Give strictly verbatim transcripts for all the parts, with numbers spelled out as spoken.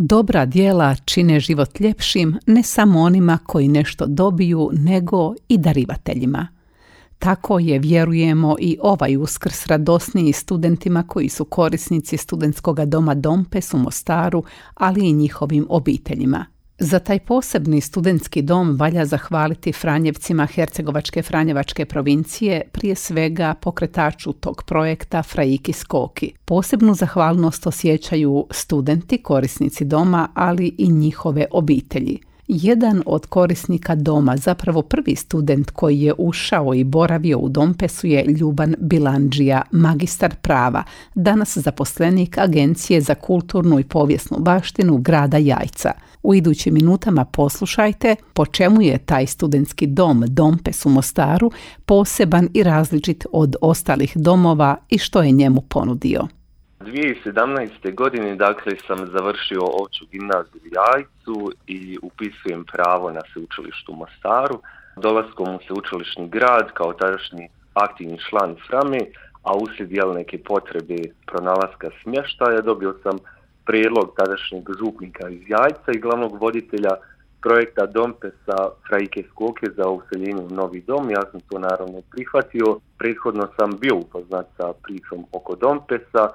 Dobra djela čine život ljepšim ne samo onima koji nešto dobiju, nego i darivateljima. Tako je, vjerujemo, i ovaj Uskrs radosniji studentima koji su korisnici studentskog doma Dompes u Mostaru, ali i njihovim obiteljima. Za taj posebni studentski dom valja zahvaliti Franjevcima Hercegovačke Franjevačke provincije, prije svega pokretaču tog projekta Fraiki Skoki. Posebnu zahvalnost osjećaju studenti, korisnici doma, ali i njihove obitelji. Jedan od korisnika doma, zapravo prvi student koji je ušao i boravio u Dompesu, je Ljuban Bilandžija, magistar prava, danas zaposlenik Agencije za kulturnu i povijesnu baštinu grada Jajca. U idućim minutama poslušajte po čemu je taj studentski dom Dompes u Mostaru poseban i različit od ostalih domova i što je njemu ponudio. dvije tisuće sedamnaeste. godine dakle sam završio opću gimnaziju u Jajcu i upisujem pravo na sveučilištu u Mostaru. Dolaskom u sveučilišni grad kao tadašnji aktivni član Frame, a uslijed jel neke potrebe pronalaska smještaja, dobio sam prijedlog tadašnjeg župnika iz Jajca i glavnog voditelja projekta Dompesa Fraike Skoke za useljenje u novi dom. Ja sam to naravno prihvatio. Prethodno sam bio upoznat sa pričom oko Dompesa,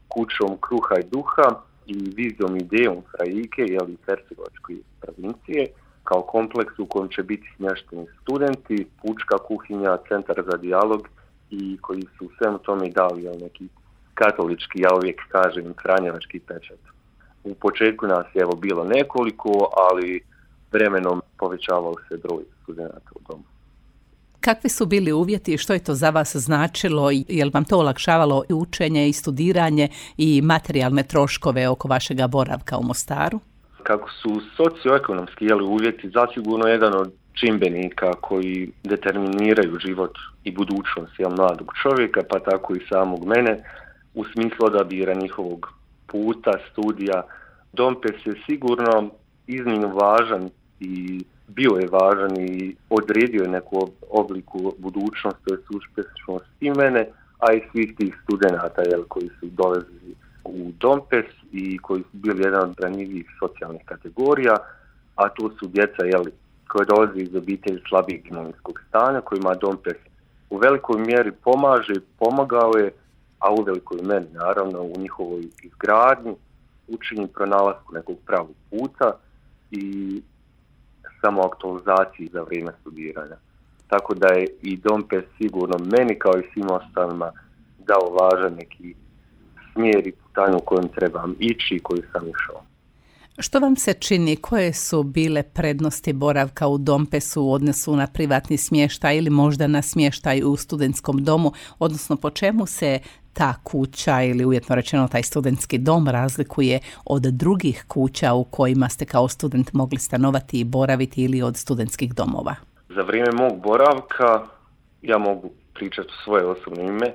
kućom kruha i duha i vizijom idejom Fraike, jeli Hercegovačke provincije, kao kompleks u kojem će biti smješteni studenti, pučka kuhinja, centar za dijalog i koji su u svemu tome dali jel, neki katolički, ja uvijek kažem, franjevački pečat. U početku nas je evo bilo nekoliko, ali vremenom povećavao se broj studenata u domu. Kakvi su bili uvjeti i što je to za vas značilo? Je li vam to olakšavalo i učenje i studiranje i materijalne troškove oko vašega boravka u Mostaru? Kako su socioekonomski jeli, uvjeti zasigurno jedan od čimbenika koji determiniraju život i budućnost jel, mladog čovjeka, pa tako i samog mene, u smislu odabira njihovog puta, studija. Dompes je sigurno iznimno važan i bio je važan i odredio je neku obliku budućnosti, to je uspješnost i mene, a i svih tih studenata jel, koji su dolazili u Dompes i koji su bili jedan od ranjivijih socijalnih kategorija, a to su djeca jel, koje dolaze iz obitelji slabijeg imovinskog stanja, kojima Dompes u velikoj mjeri pomaže, pomagao je, a u velikoj meri naravno u njihovoj izgradnji, učenju pronalasku nekog pravog puta i samoaktualizaciji za vrijeme studiranja. Tako da je i Dompes sigurno meni kao i svim ostalima dao važan neki smjer i putanju u kojem trebam ići i koji sam išao. Što vam se čini, koje su bile prednosti boravka u Dompesu u odnosu na privatni smještaj ili možda na smještaj u studentskom domu, odnosno po čemu se ta kuća ili uvjetno rečeno taj studentski dom razlikuje od drugih kuća u kojima ste kao student mogli stanovati i boraviti ili od studentskih domova? Za vrijeme mog boravka, ja mogu pričati u svoje osobno ime,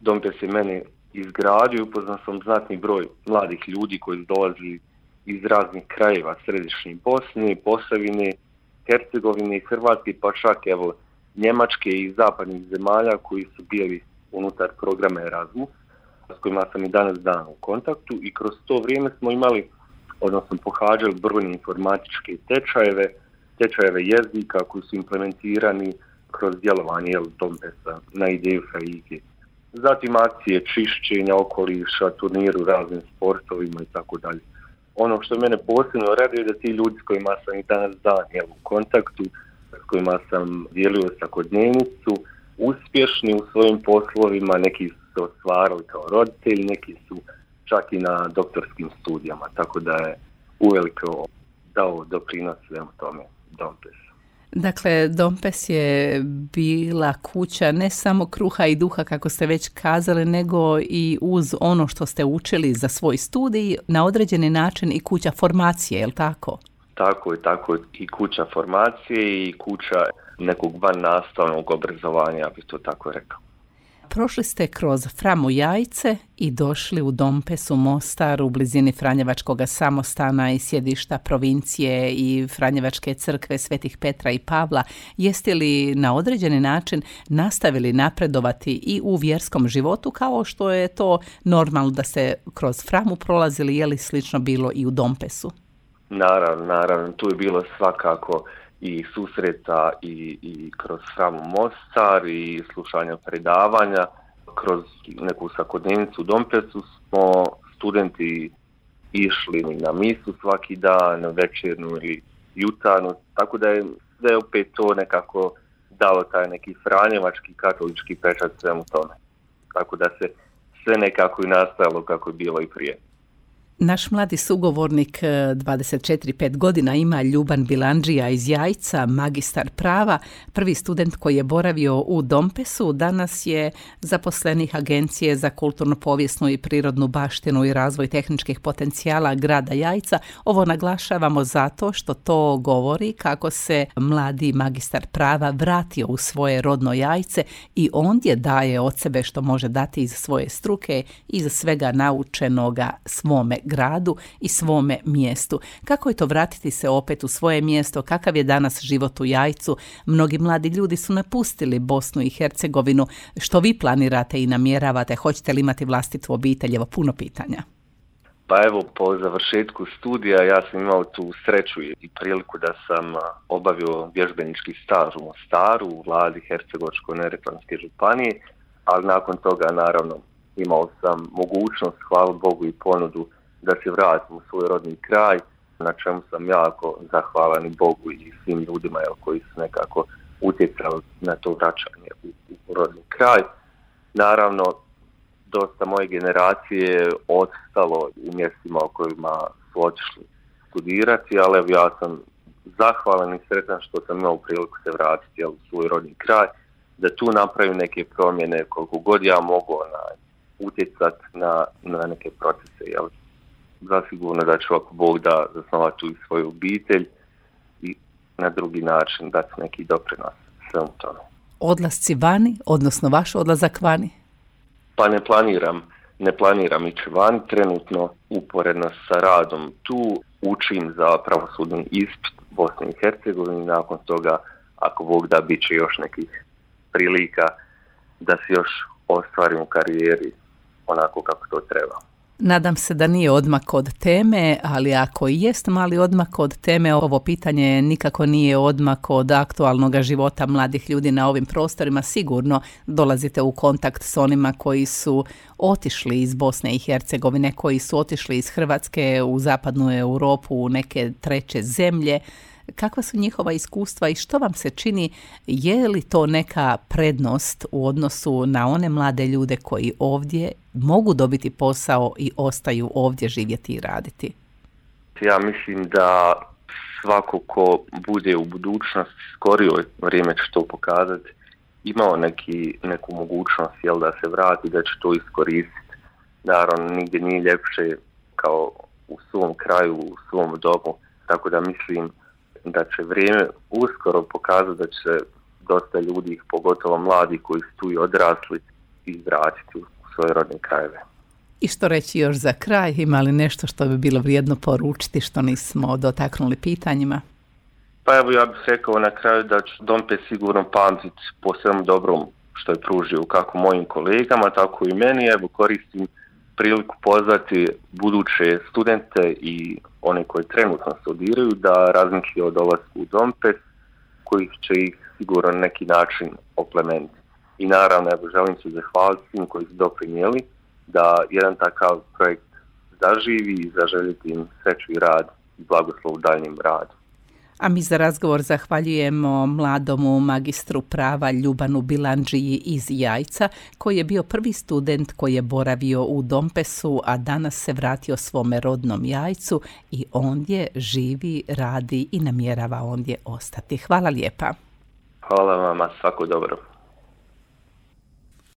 Dompes je mene izgradio i upoznao sam znatni broj mladih ljudi koji su dolazili iz raznih krajeva središnje Bosne, Posavine, Hercegovine, Hrvatske, pa čak evo Njemačke i zapadnih zemalja koji su bili unutar programa Erasmus, s kojima sam i danas dan u kontaktu i kroz to vrijeme smo imali, odnosno pohađali brojne informatičke tečajeve, tečajeve jezika koji su implementirani kroz djelovanje Dompesa na ideju Fraike. Zatim akcije čišćenja okoliša, turniru raznim sportovima i tako dalje. Ono što mene posebno raduje je da ti ljudi s kojima sam i danas dan jel, u kontaktu, s kojima sam dijelio svakodnevnicu, uspješni u svojim poslovima, neki su se ostvarili kao roditelji, neki su čak i na doktorskim studijama, tako da je uveliko dao doprinos svemu tome Dompes. Dakle, Dompes je bila kuća ne samo kruha i duha, kako ste već kazali, nego i uz ono što ste učili za svoj studij, na određeni način i kuća formacije, je li tako? Tako je, tako je. I kuća formacije i kuća nekog van nastavnog obrazovanja, ja bih to tako rekao. Prošli ste kroz Framu Jajce i došli u Dompes u Mostar u blizini Franjevačkog samostana i sjedišta provincije i Franjevačke crkve Svetih Petra i Pavla. Jeste li na određeni način nastavili napredovati i u vjerskom životu kao što je to normalno da se kroz Framu prolazili, je li slično bilo i u Dompesu? Naravno, naravno, tu je bilo svakako i susreta i, i kroz Framu Mostar i slušanja predavanja. Kroz neku svakodnevnicu u Dompesu smo studenti išli na misu svaki dan, na večernu ili jutarnju, tako da je, da je opet to nekako dalo taj neki franjevački katolički pečat svemu tome. Tako da se sve nekako i nastavilo kako je bilo i prije. Naš mladi sugovornik dvadeset četiri pet godina ima Ljuban Bilandžija iz Jajca, magistar prava, prvi student koji je boravio u Dompesu, danas je zaposlenik Agencije za kulturno povijesnu i prirodnu baštinu i razvoj tehničkih potencijala grada Jajca. Ovo naglašavamo zato što to govori kako se mladi magistar prava vratio u svoje rodno Jajce i ondje daje od sebe što može dati iz svoje struke, iz svega naučenoga svome gradu i svome mjestu. Kako je to vratiti se opet u svoje mjesto? Kakav je danas život u Jajcu? Mnogi mladi ljudi su napustili Bosnu i Hercegovinu. Što vi planirate i namjeravate? Hoćete li imati vlastitu obitelj? Evo, puno pitanja. Pa evo, po završetku studija ja sam imao tu sreću i priliku da sam obavio vježbenički staž u Mostaru, u vladi Hercegovačko-neretvanske županije, ali nakon toga naravno imao sam mogućnost, hvala Bogu, i ponudu da se vratim u svoj rodni kraj, na čemu sam jako zahvalan i Bogu i svim ljudima jel, koji su nekako utjecali na to vraćanje u, u rodni kraj. Naravno, dosta moje generacije je ostalo u mjestima u kojima su otišli studirati, ali evo ja sam zahvalan i sretan što sam imao priliku se vratiti jel, u svoj rodni kraj, da tu napravim neke promjene koliko god ja mogu utjecati na, na neke procese. Jel. Zasigurno da ću, ako Bog da, zasnovati tu i svoju obitelj i na drugi način dati neki doprinos svemu tome. Odlasci vani, odnosno vaš odlazak vani? Pa ne planiram, ne planiram ići vani, trenutno uporedno sa radom tu učim za pravosudni ispit Bosne i Hercegovine, nakon toga, ako Bog da, bit će još nekih prilika da se još ostvarim u karijeri onako kako to treba. Nadam se da nije odmak od teme, ali ako i jest mali odmak od teme, ovo pitanje nikako nije odmak od aktualnog života mladih ljudi na ovim prostorima. Sigurno dolazite u kontakt s onima koji su otišli iz Bosne i Hercegovine, koji su otišli iz Hrvatske u zapadnu Europu, u neke treće zemlje. Kakva su njihova iskustva i što vam se čini, je li to neka prednost u odnosu na one mlade ljude koji ovdje mogu dobiti posao i ostaju ovdje živjeti i raditi? Ja mislim da svako ko bude u budućnosti, skorijoj vrijeme će to pokazati, imao neki, neku mogućnost jel, da se vrati, da će to iskoristiti. Naravno, nigdje nije ljepše kao u svom kraju, u svom domu, tako da mislim da će vrijeme uskoro pokazati da će dosta ljudi, pogotovo mladi koji su tu i odrasli, izvratiti u svoje rodne krajeve. I što reći još za kraj? Ima li nešto što bi bilo vrijedno poručiti što nismo dotaknuli pitanjima? Pa evo, ja bih rekao na kraju da ću Dompes sigurno pamtiti po svemu dobrom što je pružio kako mojim kolegama, tako i meni. Evo, koristim priliku pozvati buduće studente i one koji trenutno studiraju da razmisli o dolasku u Dompes, koji će ih sigurno na neki način oplemeniti. I naravno, evo, želim se zahvaliti svim koji su doprinijeli da jedan takav projekt zaživi i zaželjeti im sreću i rad i blagoslov u daljnjem radu. A mi za razgovor zahvaljujemo mladomu magistru prava Ljubanu Bilandžiji iz Jajca, koji je bio prvi student koji je boravio u Dompesu, a danas se vratio svome rodnom Jajcu i ondje živi, radi i namjerava ondje ostati. Hvala lijepa. Hvala vama, svako dobro.